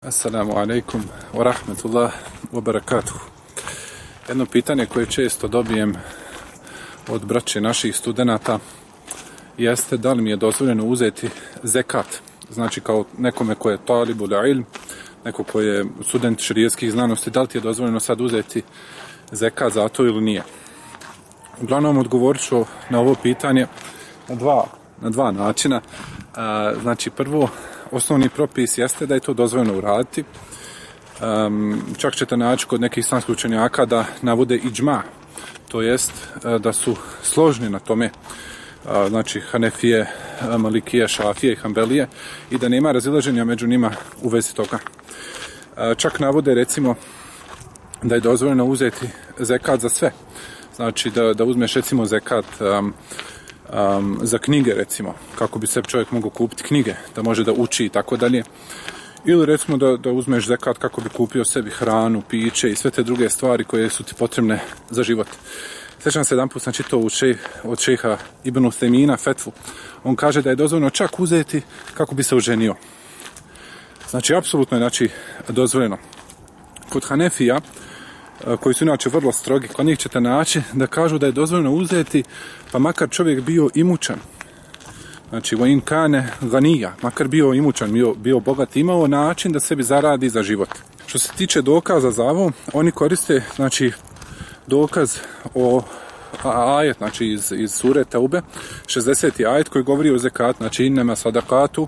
Assalamu alaikum wa rahmetullah wa barakatuh. Jedno pitanje koje često dobijem od braće naših studenata jeste da li mi je dozvoljeno uzeti zekat. Znači kao nekome ko je talibul ilm, neko ko je student šerijatskih znanosti, da li ti je dozvoljeno sad uzeti zekat za to ili nije. Uglavnom odgovorit ću na ovo pitanje na dva načina. Znači prvo, osnovni propis jeste da je to dozvoljeno uraditi. Čak ćete naći kod nekih islamskih učenjaka da navode iđma, to jest da su složni na tome, znači Hanefije, Malikije, Šafije i Hanbelije, i da nema razilaženja među njima u vezi toga. Čak navode recimo da je dozvoljeno uzeti zekat za sve. Znači da uzmeš recimo zekat za knjige recimo, kako bi se čovjek mogao kupiti knjige, da može da uči i tako dalje. Ili recimo da uzmeš zekat kako bi kupio sebi hranu, piće i sve te druge stvari koje su ti potrebne za život. Sjećam se jedan put sam čitao od šejha Ibn Uthejmina fetvu. On kaže da je dozvoljeno čak uzeti kako bi se oženio. Znači apsolutno je dozvoljeno. Kod Hanefija, koji su inače vrlo strogi, kod njih ćete naći da kažu da je dozvoljeno uzeti pa makar čovjek bio imućan. Znači vojin kane ganija, makar bio imućan, bio bogat, imao način da sebi zaradi za život. Što se tiče dokaza za ovo, oni koriste znači dokaz o ajet, znači iz sure Teube, 60. ajet koji govori o zekat, znači innema sadakatu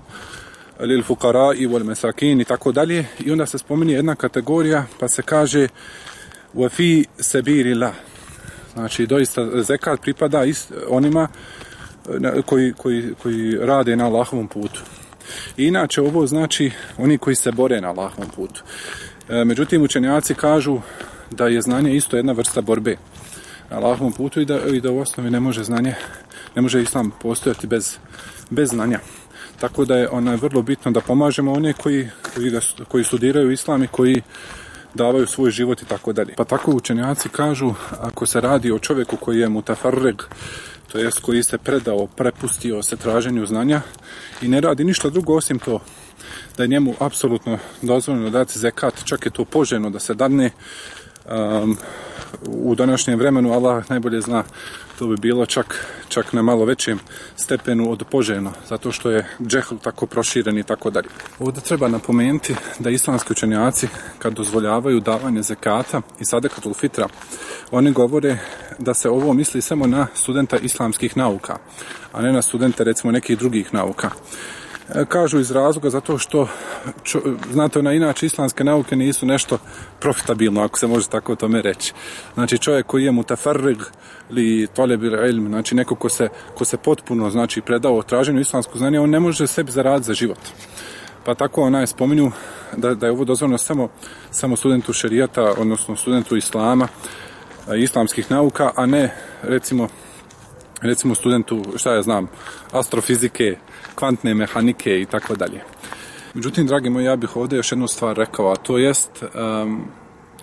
lil fukara i wal mesakin i tako dalje, i onda se spominje jedna kategorija pa se kaže wa fi sabilillah. Znači doista zekat pripada onima koji rade na Allahovom putu. I inače ovo znači oni koji se bore na Allahovom putu. Međutim učenjaci kažu da je znanje isto jedna vrsta borbe na Allahovom putu i da u osnovi ne može islam postojati bez znanja. Tako da je vrlo bitno da pomažemo one koji studiraju islam i koji davaju svoj život i tako dalje. Pa tako učenjaci kažu, ako se radi o čovjeku koji je mutafarreg, to jest koji se predao, prepustio se traženju znanja i ne radi ništa drugo osim to, da je njemu apsolutno dozvoljeno dati zekat, čak je to poželjno da se dadne. U današnjem vremenu Allah najbolje zna, to bi bilo čak na malo većem stepenu od poželjno, zato što je džehl tako proširen i tako dalje. Ovdje treba napomenuti da islamski učenjaci kad dozvoljavaju davanje zekata i sadekatul fitra, oni govore da se ovo misli samo na studenta islamskih nauka, a ne na studente recimo nekih drugih nauka. Kažu iz razloga zato što znate, inače islamske nauke nisu nešto profitabilno, ako se može tako tome reći. Znači čovjek koji je mutafarrig ili talebil ilm, znači neko ko se potpuno znači predao traženju islamskog znanja, on ne može sebi zaraditi za život. Pa tako spominju da je ovo dozvoljeno samo studentu šerijata, odnosno studentu islama, islamskih nauka, a ne recimo studentu, astrofizike, kvantne mehanike i tako dalje. Međutim, dragi moji, ja bih ovdje još jednu stvar rekao, a to jest,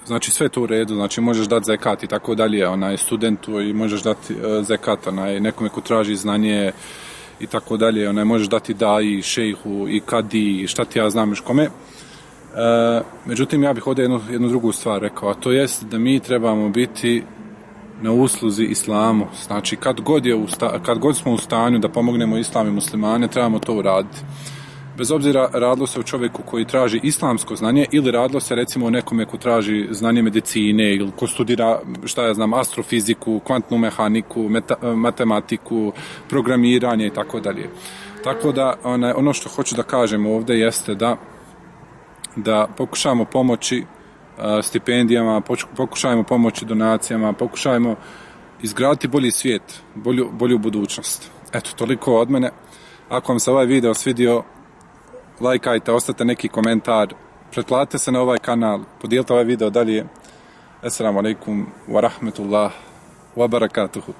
znači sve to u redu, znači možeš dati zekat i tako dalje, studentu, i možeš dati zekat nekome ko traži znanje i tako dalje, možeš dati daji, šejhu i kadi, šta ti ja znam još kome. Međutim, ja bih ovdje jednu drugu stvar rekao, a to jest da mi trebamo biti na usluzi islamu. Znači kad god smo u stanju da pomognemo islam i muslimane, trebamo to uraditi. Bez obzira radilo se o čovjeku koji traži islamsko znanje ili radilo se recimo o nekome ko traži znanje medicine ili ko studira astrofiziku, kvantnu mehaniku, matematiku, programiranje i tako dalje. Tako da ono što hoću da kažem ovdje jeste da pokušamo pomoći stipendijama, pokušajmo pomoći donacijama, pokušajmo izgraditi bolji svijet, bolju budućnost. Eto, toliko od mene. Ako vam se ovaj video svidio, lajkajte, ostavite neki komentar, pretplatite se na ovaj kanal, podijelite ovaj video dalje. Assalamu alaikum wa rahmetullah wa barakatuhu.